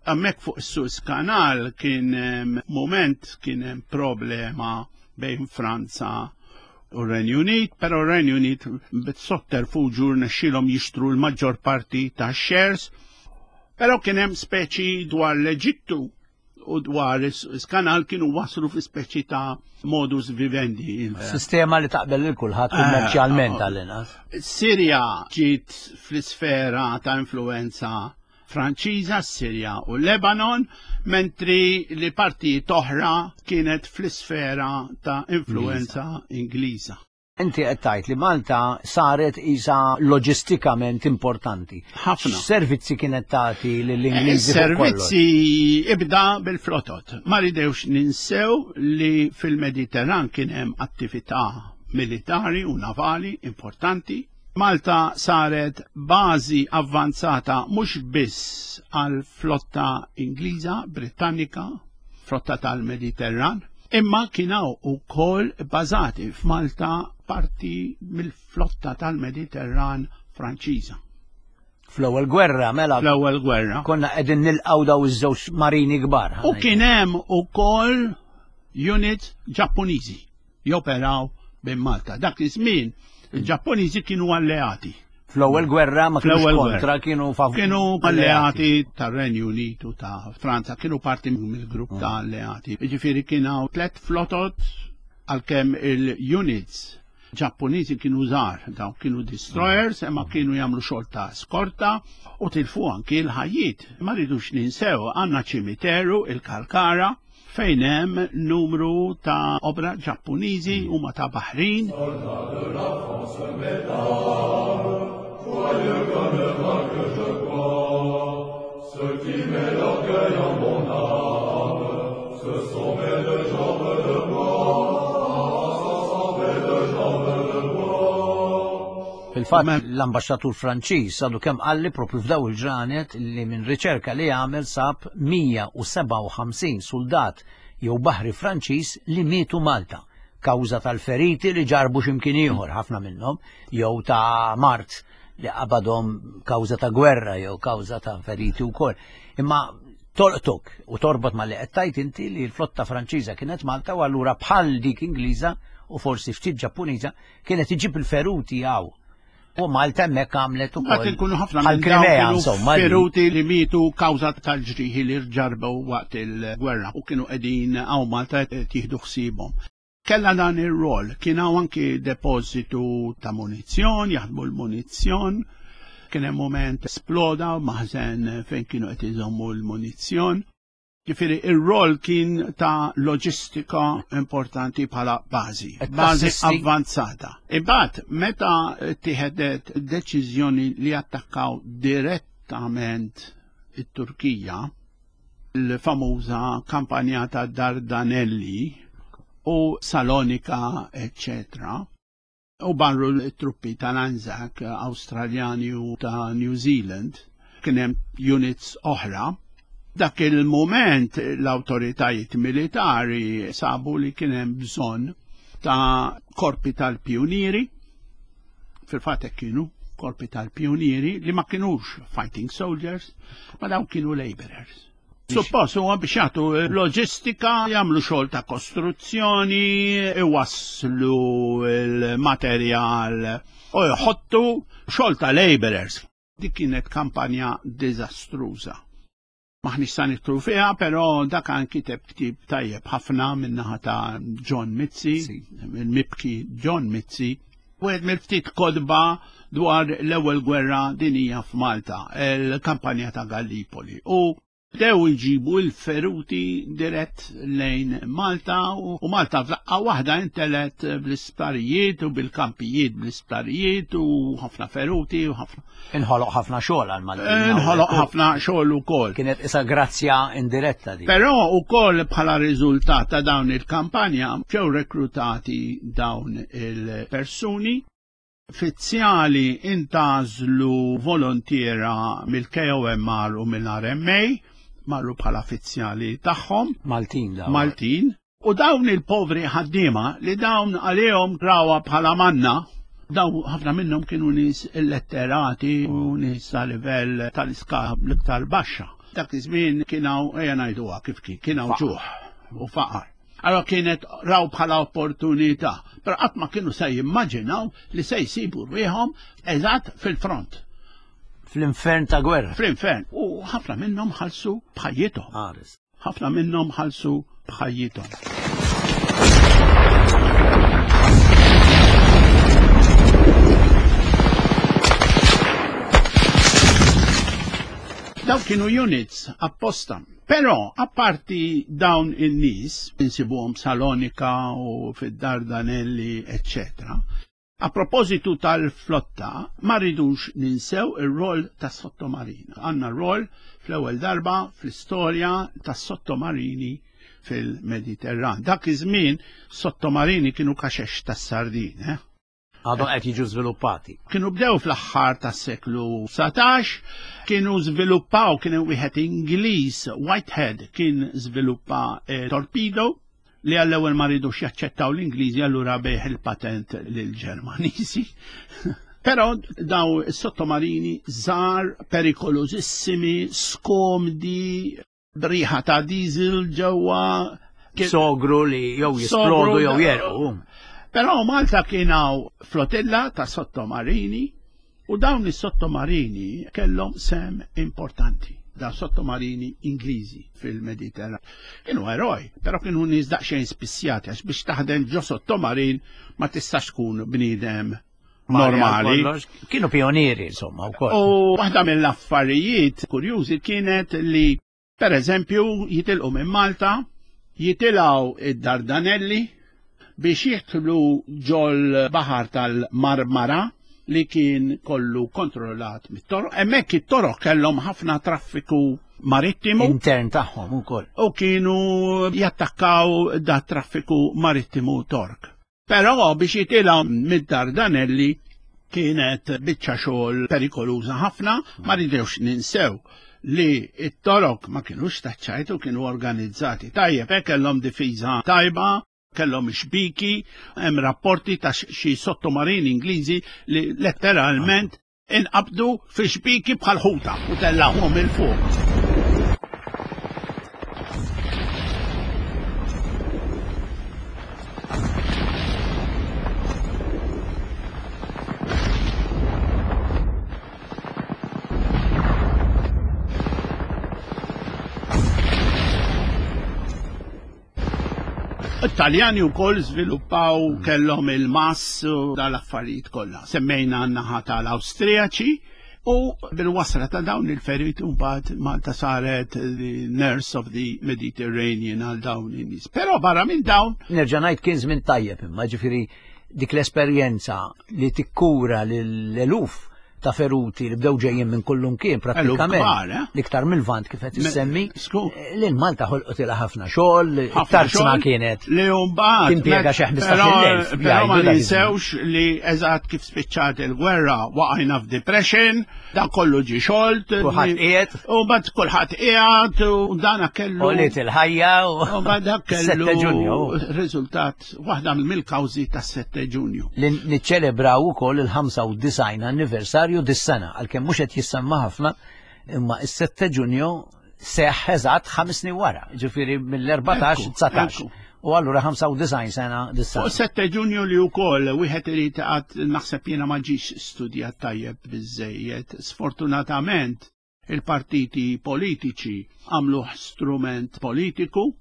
Hemmhekk fuq is-Suez Canal kien mument kien hemm problema bejn Franza u r-Renju Unit, però r-Renju Unit bit-sotterfuġu rnexxielhom jixtru l-maġġor parti tax-shares. Però kien hemm speċi dwar l-Eġittu u dwar is-kanal kienu waslu fi speċi ta' modus vivendi. Sistema li taqbel lil kulħadd eh, kummerċjalment eh, għall-inqas. Sirja ġiet fl-isfera ta' influenza Franċiża, Sirja u Lebanon, mentri li partijiet oħra kienet fl-isfera ta' influenza Ingliża. Inti qed tgħid li Malta saret isa loġistikament importanti. Ħafna. X'servizzi kienet tagħti lill-Ingliżi? Eh, servizzi ibda bil-flotot. Ma ridewx ninsew li fil-Mediterran kien hemm attività militari u navali importanti. Malta saret bażi avvanzata mhux biss għal flotta Ingliża, Britannika, flotta tal-Mediterran, imma kien hawn ukoll bbażati f'Malta parti mill-flotta tal-Mediterran Franċiża. Fl-ewwel gwerra, mela. Fl-ewwel gwerra. Konna qegħdin nilqgħu daw iż-żewġ marini kbar. U kien hemm ukoll units Ġappuniżi. joperaw minn Malta. Dak iż-żmien il-Ġappuniżi kienu alleati. Fl-ewwel gwerra ma kienux kontra, kienu favur. Kienu alleati tar-Renju Unitu ta' Franza, kienu parti mill-grupp ta' mm. alleati. Jiġifieri kien hawn tliet flotot għalkemm il-units Ġappuniżi kienu żgħar, dawn kienu destroyers, imma kienu jagħmlu xogħol ta' skorta u tilfu anki l-ħajjiet. Ma rridux ninsew għandna ċimiteru il-Kalkara fejn hemm numru ta' obra Ġappuniżi huma ta' baħrin. Fil-fatt l-ambaxxatur Franċiż għadu kemm qalli propju f'daw il-ġranet li minn riċerka li għamel sab 157 suldat jew baħri Franċiż li mietu Malta kawża tal-feriti li ġarbu x'imkien ieħor ħafna minnhom jew ta' mard li qabadhom kawża ta' gwerra jew kawża ta' feriti wkoll. Imma tolqtok u torbot ma li qed tgħid inti li l-flotta Franċiża kienet Malta u allura bħal dik Ingliża u forsi ftit Ġappuniża kienet iġib il-feruti għaw. U Malta hemmhekk għamlet ukoll. Mbagħad inkunu ħafna minn Krimea insomma. Feruti li mietu kawża tal-ġrieħi li rġarbew waqt il-gwerra u kienu qegħdin hawn Malta tieħdu ħsiebhom. Kella dan ir-rol, kien hawn anki depożitu ta' munizzjon, jaħdmu l-munizzjon, kien hemm mument sploda maħżen fejn kienu qed iżommu l-munizzjon. Ġifieri ir-rol kien ta' loġistika importanti bħala bażi, bażi avvanzata. Imbagħad meta tieħedet deċiżjoni li attakkaw direttament it-Turkija, l-famuża kampanja ta' Dardanelli u Salonika, eccetera, U barru l-truppi tal-Anzac Awstraljani u ta' New Zealand, kien hemm units oħra. Dak il-mument l-awtoritajiet militari sabu li kien hemm bżonn ta' korpi tal-pjunieri, fil-fatt hekk kienu korpi tal-pjunieri li ma kinux fighting soldiers, ma dawn kienu laborers. Suppost huwa biex jagħtu loġistika, jagħmlu xogħol ta' kostruzzjoni, iwasslu l-materjal u jħottu xogħol ta' laborers. Dik kienet kampanja diżastruża. Maħniex sa nidħlu fiha, però dak kiteb ktieb tajjeb ħafna min-naħa ta' John Mizzi, il-mibki John Mizzi, wieħed mill-ftit kotba dwar l-ewwel gwerra dinija f'Malta, il-kampanja ta' Gallipoli. U bdew iġibu l-feruti dirett lejn Malta u Malta f'daqqa waħda intelet bl-isptarijiet u bil-kampijiet bl-isptarijiet u ħafna feruti u ħafna. Inħoloq ħafna xogħol għal Malta. Inħoloq ħafna xogħol ukoll. Kienet isa grazzja indiretta di. Però ukoll bħala riżultat ta' dawn il-kampanja ġew reklutati dawn il-persuni. Fizzjali intgħażlu volontiera mill-KOMR u mill-RMA, marru bħala fizzjali tagħhom. Maltin dawn. Maltin. U dawn il-povri ħaddiema li dawn għalihom rawha bħala manna, dawn ħafna minnhom kienu nies illetterati u nies ta' livell tal-iskala l-iktar baxxa. Dak iż-żmien kien hawn, ejja ngħiduha kif kien, kien hawn ġuħ u faqar. Allora kienet raw bħala opportunità, però qatt ma kienu se jimmaġinaw li se jsibu rwieħhom eżatt fil-front. Fl-infern ta' gwerra. Fl-infern. U ħafna minnhom ħallsu b'ħajjithom. Ħares. Ħafna minnhom ħallsu b'ħajjithom. Daw kienu units apposta. Però, apparti dawn in-nies, insibuhom Salonika u fid-Dardanelli, eċċetera. A propositu tal-flotta, ma rridux ninsew ir-rol tas-sottomarin. Għandna rol fl-ewwel darba fl-istorja tas-sottomarini fil-Mediterran. Dak iż-żmien sottomarini kienu kaxex tas-sardin, eh? Għadhom qed jiġu żviluppati. Kienu bdew fl-aħħar tas-seklu 19, kienu żviluppaw, kien hemm wieħed Ingliż, Whitehead, kien żviluppa eh, torpedo li għall-ewwel ma ridux jaċċettaw l-Ingliżi allura bejħ il-patent lill-Ġermaniżi. Però daw is-sottomarini żgħar, perikolużissimi, skomdi, briħa ta' diesel ġewwa. Sogru li jew jisplodu jew jerqu. Però Malta kien hawn flotilla ta' sottomarini u dawn is-sottomarini kellhom sem importanti. Da sottomarini Ingliżi fil-Mediterran. Kienu eroj, però kienu nies daqsxejn spissjati għax biex taħdem ġo sottomarin ma tistax tkun bniedem normali. Kienu pionieri, insomma, wkoll. U waħda mill-affarijiet kurjużi kienet li, per eżempju, jitilqu minn Malta, jitilgħu id-Dardanelli biex jidħlu ġol baħar tal-Marmara li kien kollu kontrollat mit-toroq. Hemmhekk it-toroq kellhom ħafna traffiku marittimu. Intern tagħhom ukoll. U kienu jattakkaw da traffiku marittimu Tork. Però biex jitilgħu mid-Dardanelli kienet biċċa xogħol perikoluża ħafna, ma rridux ninsew li it-torok ma kienux taċċajtu kienu organizzati tajjeb, eh, kellhom difiża tajba, kellhom xbiki, hemm rapporti ta' xi sottomarini Ingliżi li letteralment inqabdu fi xbiki bħal ħuta u tellgħuhom 'il fuq. It-Taljani wkoll żviluppaw kellhom il-mass u dal-affarijiet kollha. Semmejna n-naħa tal-Awstrijaċi u bil-wasla ta' dawn il-feriti mbagħad Malta saret the nurse of the Mediterranean għal dawn in-nies. Però barra minn dawn. Nerġa' ngħid kien żmien tajjeb imma ġifieri dik l-esperjenza li tikkura lill-eluf ta' feruti li bdew ġejjin minn kullumkien prattikament. Eh? L-iktar mill-vant kif qed issemmi. Eh, lil Malta ħolqotilha ħafna xogħol, tarzna kienet. Li mbagħad timpiega xi 15,000. Però ma ninsewx li eżatt kif spiċċat il-gwerra waqajna f'depression, dan kollu ġi xolt. Kulħadd qiegħed. U mbagħad kulħadd qiegħed u dana kellu. Għoliet il-ħajja u mbagħad dak kellu riżultat waħda mill-kawżi tas-7 Ġunju. Li niċċelebraw ukoll il-95 anniversarju dis-sena, għalkemm mhux qed jissemma ħafna, imma is-7 Ġunju seħħ eżatt 5 snin wara, ġifieri mill-14 19. U allura 95 sena dissa. U 7 Ġunju li wkoll wieħed irid għad naħseb jiena ma ġiex studjat tajjeb biżejjed. Sfortunatament il-partiti politiċi għamluh strument politiku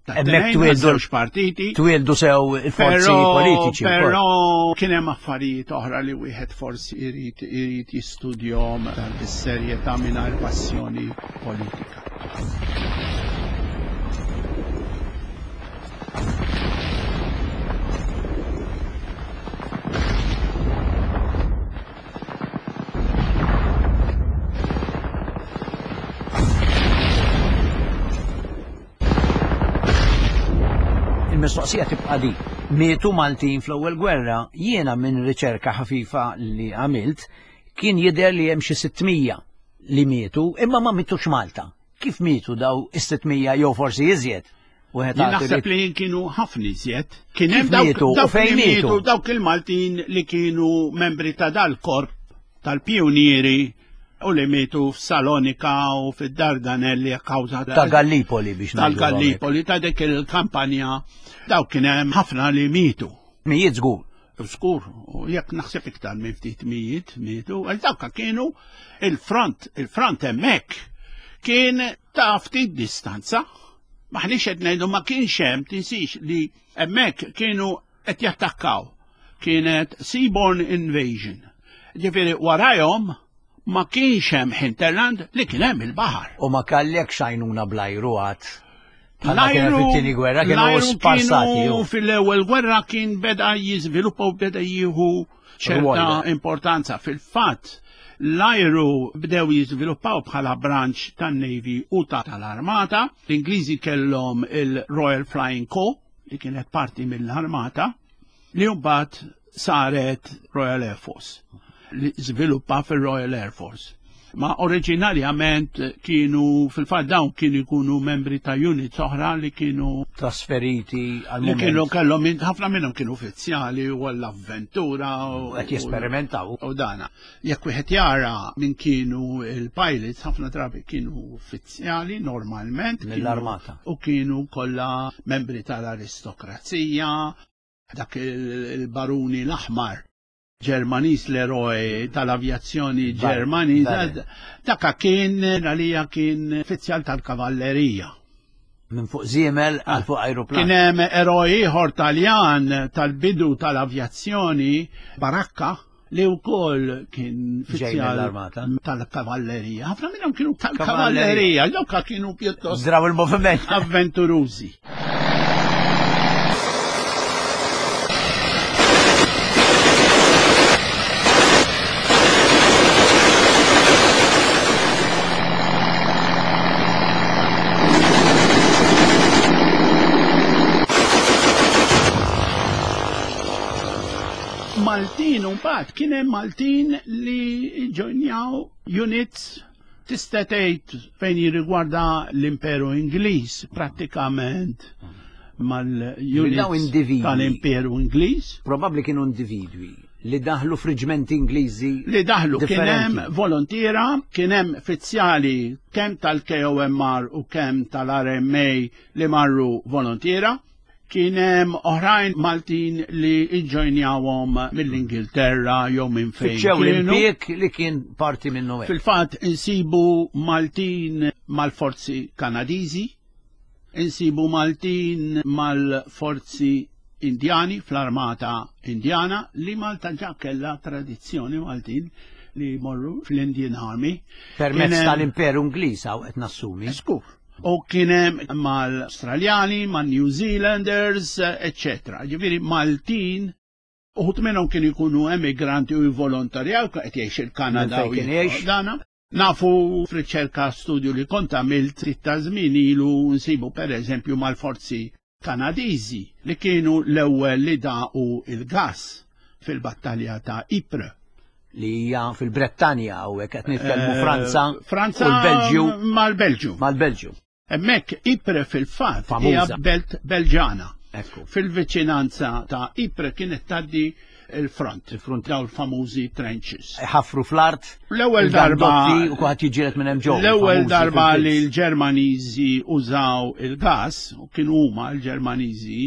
Hemmhekk twieldu partiti. Twieldu sew il-forzi politiċi. Però kien hemm affarijiet oħra li wieħed forsi irid irid jistudjhom bis-serjetà mingħajr passjoni politika. Il-mistoqsija tibqa' di. Mietu Maltin fl-ewwel gwerra, jiena minn riċerka ħafifa li għamilt, kien jidher li hemm xi 600 li mietu, imma ma mitux Malta. Kif mietu daw is-600 jew forsi iżjed? Wieħed Naħseb li kienu ħafna iżjed. Kien hemm dawk fejn mietu dawk il-Maltin li kienu membri ta' dal-korp tal-pjunieri u li mietu f'Salonika u fid-Dardanelli a kawża ta' Gallipoli biex tal-Gallipoli ta' dik il-kampanja dawk kien hemm ħafna li mietu. Mijiet żgur. Żgur, u jekk naħseb iktar minn ftit mijiet mietu, għal dawk kienu il-front, il-front hemmhekk kien ta' ftit distanza. Maħniex qed ngħidu ma kienx hemm tinsix li hemmhekk kienu qed jattakkaw. Kienet seaborne invasion. Ġifieri warajhom ma kienx hemm hinterland li kien hemm il-baħar. U ma kellekx għajnuna bl-ajru għad. L-ajru fit-tieni gwerra kienu sparsati. Fil-ewwel gwerra kien beda jiżviluppa u beda jieħu ċerta importanza. Fil-fatt, l-ajru bdew jiżviluppaw bħala branch tan-Navy u tal-Armata. L-Ingliżi kellhom il-Royal Flying Corps li kienet parti mill-Armata li mbagħad saret Royal Air Force, li żviluppa fir-Royal Air Force. Ma oriġinarjament kienu fil-fatt dawn kienu jkunu membri ta' units oħra li kienu trasferiti għal li kienu kellhom ħafna minnhom kienu uffiċjali u għall-avventura u qed jesperimentaw. U dana. Jekk wieħed jara min kienu il-pilots ħafna drabi kienu uffiċjali normalment mill-armata u kienu kollha membri tal-aristokrazija dak il-baruni l-aħmar Ġermaniż l-eroj tal-avjazzjoni Ġermaniża, daka kien għalija kien uffiċjal tal-kavallerija. Minn fuq żiemel għal fuq ajruplan. Kien hemm eroj ieħor Taljan tal-bidu tal-avjazzjoni Baracca li wkoll kien uffiċjal tal-kavallerija. Ħafna minnhom kienu tal-kavallerija, dawk kienu pjuttost Draw il-moviment. Avventurużi. Maltin u mbagħad kien hemm Maltin li ġojnjaw units tista' tgħid fejn jirrigwarda l-Imperu Ingliż prattikament mal-units tal-Imperu Ingliż. Probabbli kienu individwi li daħlu f'riġmenti Ingliżi. Li daħlu kien hemm volontiera, kien hemm fizzjali kemm tal-KOMR u kemm tal-RMA li marru volontiera. Kien hemm oħrajn Maltin li iġġojnjawhom mill-Ingilterra jew minn fejn. Fittxew l-impjieg li kien parti minnu hekk. Fil-fatt insibu Maltin mal-forzi Kanadiżi, insibu Maltin mal-forzi Indjani fl-armata Indjana li Malta ġa kellha tradizzjoni Maltin li jmorru fl-Indian Army. Permezz tal-Imperu Ingliż hawn qed nassumi. Skur. U kien hemm mal-Australjani, mal-New Zealanders, eccetera. Ġifieri Maltin, uħut minnhom kienu jkunu emigranti u jivvolontarjaw, qed jgħix il-Kanada u dana. Nafu f'riċerka studju li kont għamilt ftit ta' żmien ilu nsibu pereżempju mal-forzi Kanadiżi li kienu l-ewwel li daqu il-gass fil-battalja ta' Ypres. Li hija fil-Brettanja hawnhekk qed nitkellmu eh, Franza, Franza u l-Belġju. Mal-Belġju. Mal-Belġju. Hemmhekk Ypres fil-fatt hija belt Belġana. Fil-viċinanza ta' Ypres kienet tgħaddi il-front, il-front daw l-famużi trenches. Ħafru fl-art. L-ewwel darba u kulħadd jiġġieled minn hemm ġew. L-ewwel darba li l-Ġermaniżi użaw il-gas, u kienu huma l-Ġermaniżi,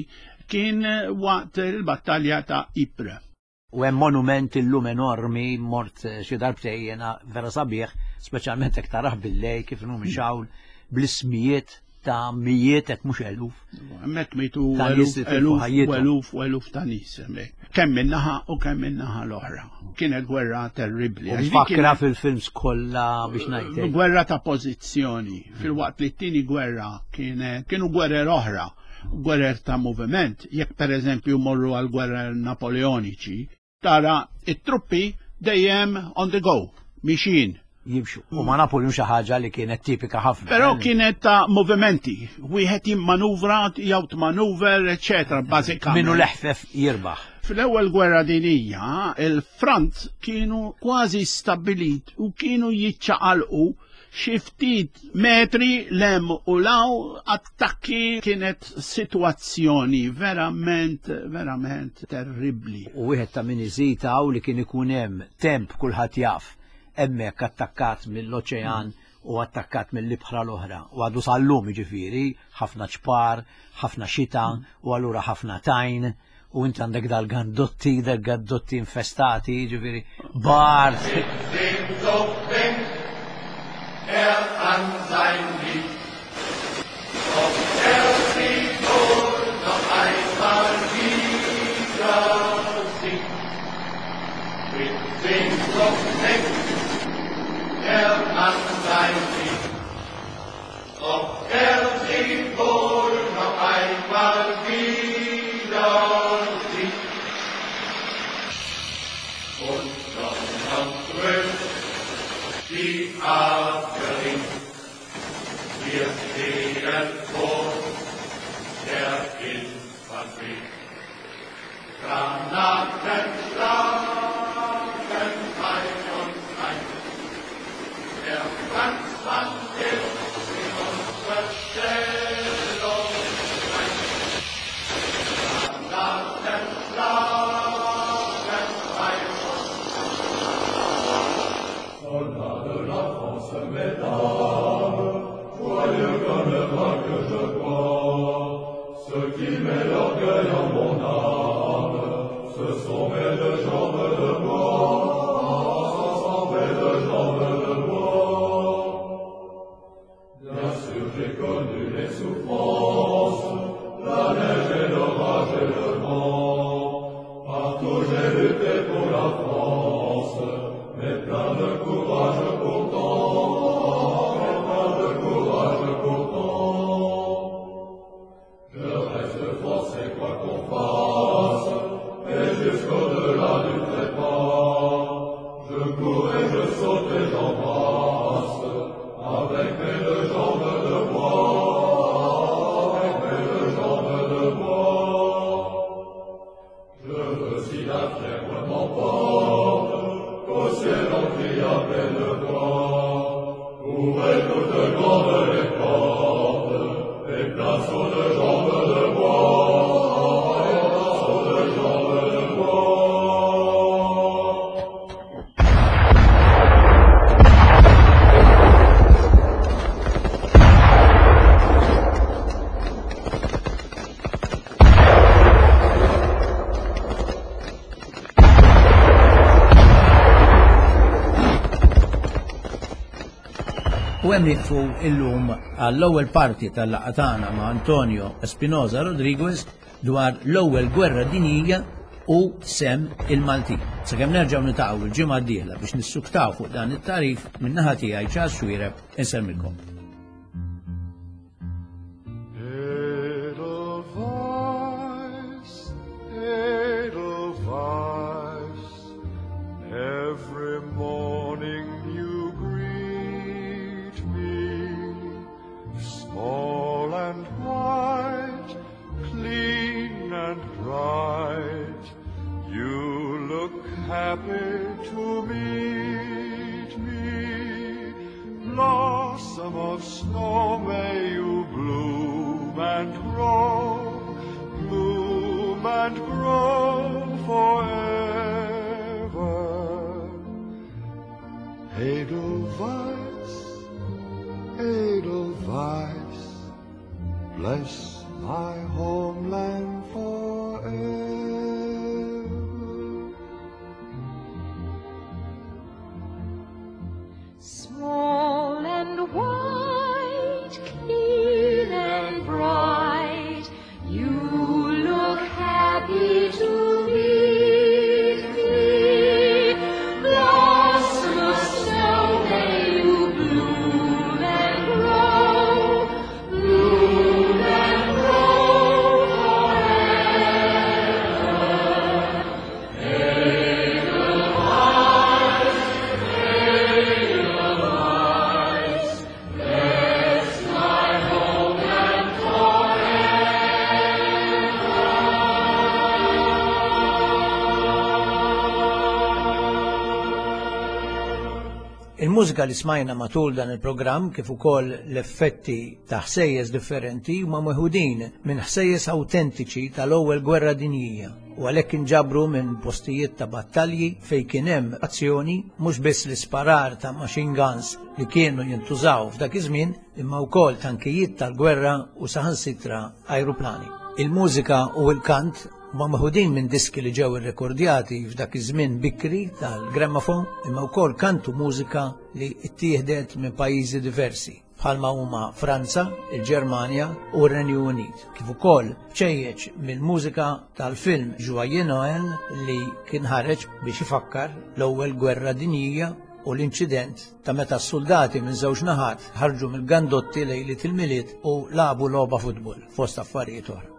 kien waqt il-battalja ta' Ypres. U hemm monument illum enormi, mort eh, xi darbtej jiena vera sabiħ, speċjalment hekk tarah billej kif inhu mixawl bl-ismijiet ta' mijiet hekk mhux eluf. Hemmhekk mitu eluf eluf eluf u eluf ta' nies hemmhekk. Kemm min-naħa u kemm min-naħa l-oħra. Kienet gwerra terribbli. U Fakra fil-films kollha biex ngħid. Gwerra ta' pożizzjoni. Fil-waqt li t-tieni gwerra kienet kienu gwerer oħra gwerer ta' moviment, jekk per eżempju morru għal gwerer Napoleoniċi, tara it-truppi dejjem on the go, mixin. Jimxu. U ma Napoleon xi ħaġa li kienet tipika ħafna. Però eh? kienet ta' movimenti, wieħed jimmanuvra, jew tmanuver, eċetera, bażikament. Minnu leħfef jirbaħ. Fl-ewwel gwerra dinija, il-front kienu kważi stabbilit u kienu jiċċaqalqu xi ftit metri lem u law attakki kienet sitwazzjoni verament, verament terribbli. U wieħed ta' min iżid hawn li kien ikun hemm temp kulħadd jaf hemmhekk attakkat mill-oċean u attakkat mill-ibħra l-oħra. U għadu sal-lum jiġifieri ħafna ċpar, ħafna xita u allura ħafna tajn u inti għandek dal-gandotti, dal-gandotti infestati, ġifiri, bart. Er an sein Lied, ob er sie wohl noch einmal wieder sieht. Mit Sehnsucht denkt er an sein Lied, ob er sie wohl noch einmal wieder sieht. Und donnern dröhnt die Artillerie. Wir stehen vor der Infanterie. Granaten schlagen bei uns ein. Der Franzmann ist in unserer Stellung ein. Granaten schlagen bei uns Soldats de la France, mesdames, joyeux comme le vin que je bois, ce qui met l'orgueil en mon âme, ce sont mes deux jambes de bois, ce sont mes deux jambes de bois. Bien sûr, j'ai connu les souffrances, la neige et l'orage et le vent. Partout j'ai lutté pour la France, mais plein de courage pourtant, mais plein de courage pourtant. Je reste français quoi qu'on fasse, et jusqu'au-delà du trépas. Je cours et je saute et j'embrasse, avec mes deux jambes de bois, avec mes deux jambes de bois. Je veux si la fièvre m'emporte, qu'au ciel on crie à pleine voix. Ouvrez toutes grandes les portes, et place aux deux jambes de bois, et place aux deux jambes de bois. U hemm nieqfu illum għall-ewwel parti tal-laqgħa tagħna ma' Antonio Espinosa Rodriguez dwar l-ewwel gwerra dinjija u sem il-Maltin. Sakemm nerġgħu nitaqgħu il-ġimgħa d-dieħla biex nissuktaw fuq dan it-tarif min-naħa tiegħi Charles Xuereb insemmilkom. Edelweiss, Edelweiss, every morning you greet me, small and white, clean and bright. You look happy to meet me. Blossom of snow, may you bloom and grow, bloom and grow forevermore. Edelweiss, Edelweiss, bless my homeland forever. Small and white, clean and bright, you look happy to meet me. Blossom of snow, may you bloom and grow, bloom and grow forever. Edelweiss, Edelweiss, bless my homeland Il-mużika li smajna matul dan il-programm kif ukoll l-effetti ta' ħsejjes differenti huma meħudin minn ħsejjes awtentiċi tal-Ewwel Gwerra Dinjija u għalhekk inġabru minn postijiet ta' battalji fejn kien hemm azzjoni mhux biss l-isparar ta' machine guns li kienu jintużaw f'dak iż-żmien imma wkoll tankijiet tal-gwerra u saħansitra ajruplani. Il-mużika u l-kant huma meħudin minn diski li ġew irrekordjati f'dak iż-żmien bikri tal-gramophone imma wkoll kantu mużika li ttieħdet minn pajjiżi diversi bħalma huma Franza, il-Ġermanja u r-Renju Unit, kif ukoll bċejjeċ mill-mużika tal-film Joyeux Noël li kien ħareġ biex ifakkar l-ewwel gwerra dinjija u l-inċident ta' meta s-suldati minn żewġ naħat ħarġu mill-gandotti lejliet il-Milied u lagħbu logħba futbol fost affarijiet oħra.